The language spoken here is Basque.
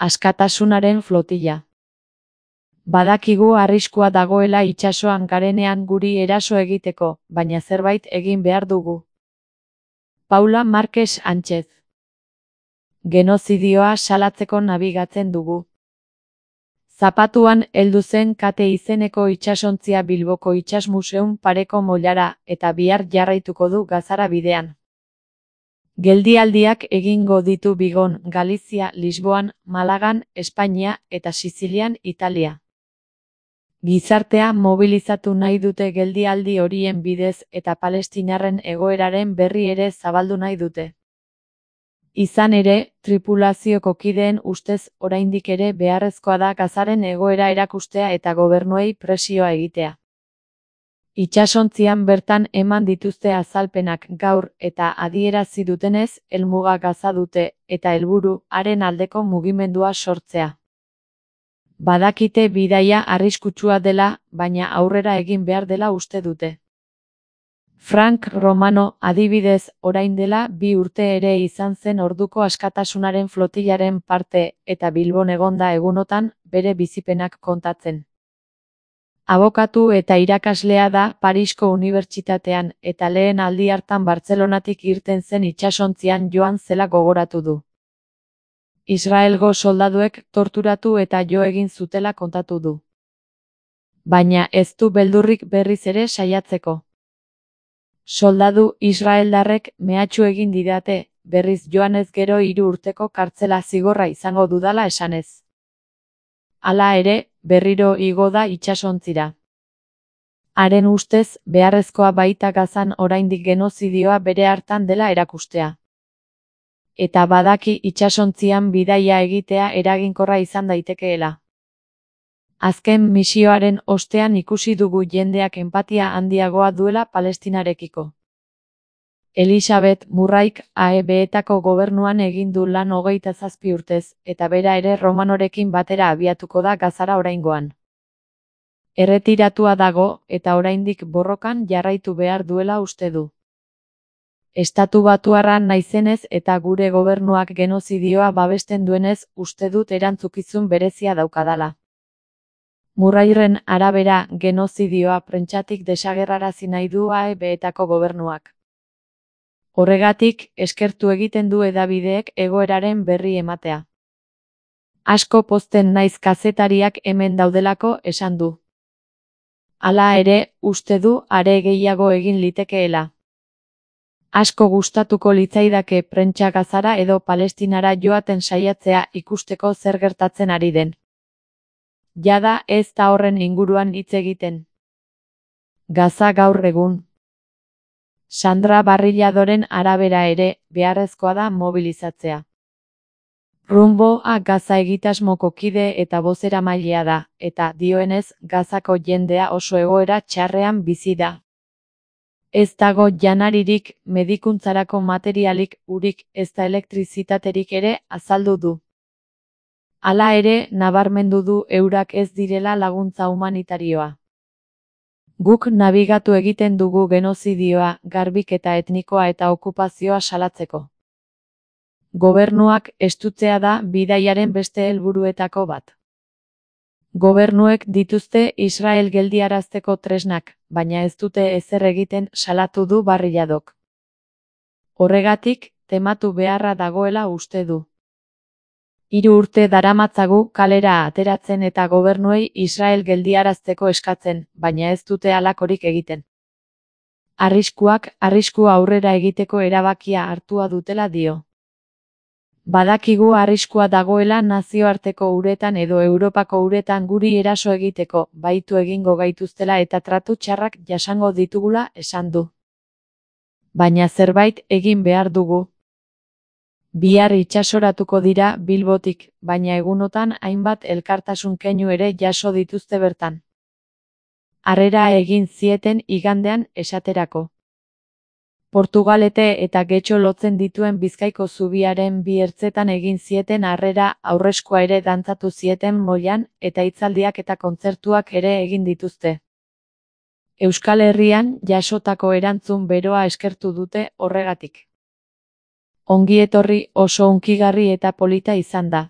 Askatasunaren flotilla. Badakigu arriskua dagoela itsasoan garenean guri eraso egiteko, baina zerbait egin behar dugu. Paula Márquez Sánchez. Genozidioa salatzeko nabigatzen dugu. Zapatuan heldu zen Kate izeneko itsasontzia Bilboko Itsasmuseum pareko moilara eta bihar jarraituko du Gazara bidean. Geldialdiak egingo ditu Vigon, Galizia, Lisboan, Malagan, Espainia eta Sizilian, Italia. Gizartea mobilizatu nahi dute geldialdi horien bidez eta palestinarren egoeraren berri ere zabaldu nahi dute. Izan ere, tripulazioko kideen ustez oraindik ere beharrezkoa da Gazaren egoera erakustea eta gobernuei presioa egitea. Itsasontzian bertan eman dituzte azalpenak gaur eta adierazi dutenez helmuga Gaza dute eta helburu haren aldeko mugimendua sortzea. Badakite bidaia arriskutsua dela, baina aurrera egin behar dela uste dute. Frank Romano, adibidez, orain dela 2 urte ere izan zen orduko askatasunaren flotillaren parte eta Bilbon egonda egunotan bere bizipenak kontatzen. Abokatu eta irakaslea da Parisko Unibertsitatean eta lehen aldi hartan Bartzelonatik irten zen itsasontzian joan zela gogoratu du. Israelgo soldaduek torturatu eta jo egin zutela kontatu du. Baina ez du beldurrik berriz ere saiatzeko. Soldadu israeldarrek mehatxu egin didate, berriz joanez gero 3 urteko kartzela zigorra izango dudala esanez. Hala ere, berriro igo da itsasontzira. Haren ustez, beharrezkoa baita Gazan oraindik genozidioa bere hartan dela erakustea. Eta badaki itsasontzian bidaia egitea eraginkorra izan daitekeela. Azken misioaren ostean ikusi dugu jendeak enpatia handiagoa duela Palestinarekiko. Elisabeth Murraik AEB-etako gobernuan egin du lan 27 urtez, eta bera ere Romanorekin batera abiatuko da Gazara oraingoan. Erretiratua dago eta oraindik borrokan jarraitu behar duela uste du. Estatubatuarra naizenez eta gure gobernuak genozidioa babesten duenez uste dut erantzukizun berezia daukadala. Murrairen arabera, genozidioa prentsatik desagerrarazi nahi du AEB-etako gobernuak. Horregatik, eskertu egiten du hedabideek egoeraren berri ematea. Asko pozten naiz kazetariak hemen daudelako esan du. Hala ere, uste du are gehiago egin litekeela. Asko gustatuko litzaidake prentsa Gazara edo Palestinara joaten saiatzea ikusteko zer gertatzen ari den. Jada ez da horren inguruan hitz egiten. Gaza gaur egun. Sandra Barrilladoren arabera ere, beharrezkoa da mobilizatzea. Rumboa Gaza egitasmoko kide eta bozeramailea da, eta dioenez Gazako jendea oso egoera txarrean bizi da. Ez dago janaririk, medikuntzarako materialik, urik, ezta elektrizitaterik ere azaldu du. Hala ere, nabarmendu du eurak ez direla laguntza humanitarioa. Guk nabigatu egiten dugu genozidioa, garbiketa etnikoa eta okupazioa salatzeko. Gobernuak estutzea da bidaiaren beste helburuetako bat. Gobernuek dituzte Israel geldiarazteko tresnak, baina ez dute ezer egiten salatu du Barrilladok. Horregatik, tematu beharra dagoela uste du. 3 urte daramatzagu kalera ateratzen eta gobernuei Israel geldiarazteko eskatzen, baina ez dute halakorik egiten. Arriskua aurrera egiteko erabakia hartua dutela dio. Badakigu arriskua dagoela nazioarteko uretan edo Europako uretan guri eraso egiteko, baitu egingo gaituztela eta tratu txarrak jasango ditugula esan du. Baina zerbait egin behar dugu. Bihar itsasoratuko dira Bilbotik, baina egunotan hainbat elkartasun keinu ere jaso dituzte bertan. Harrera egin zieten igandean esaterako. Portugalete eta Getxo lotzen dituen Bizkaiko zubiaren 2 ertzetan egin zieten harrera, aurreskua ere dantzatu zieten moilan eta hitzaldiak eta kontzertuak ere egin dituzte. Euskal Herrian jasotako erantzun beroa eskertu dute horregatik. Ongi etorri, oso hunkigarri eta polita izan da.